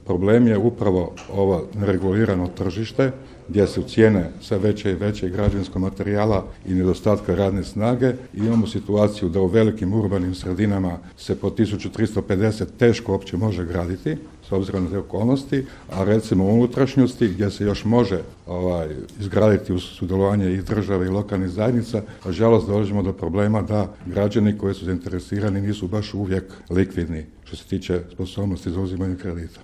Problem je upravo ovo neregulirano tržište gdje su cijene sve veće i veće građevinskog materijala i nedostatka radne snage. I imamo situaciju da u velikim urbanim sredinama se po 1350 teško uopće može graditi s obzirom na te okolnosti, a recimo u unutrašnjosti gdje se još može izgraditi uz sudjelovanje i države i lokalnih zajednica, nažalost dolazimo do problema da građani koji su zainteresirani nisu baš uvijek likvidni što se tiče sposobnosti za uzimanje kredita.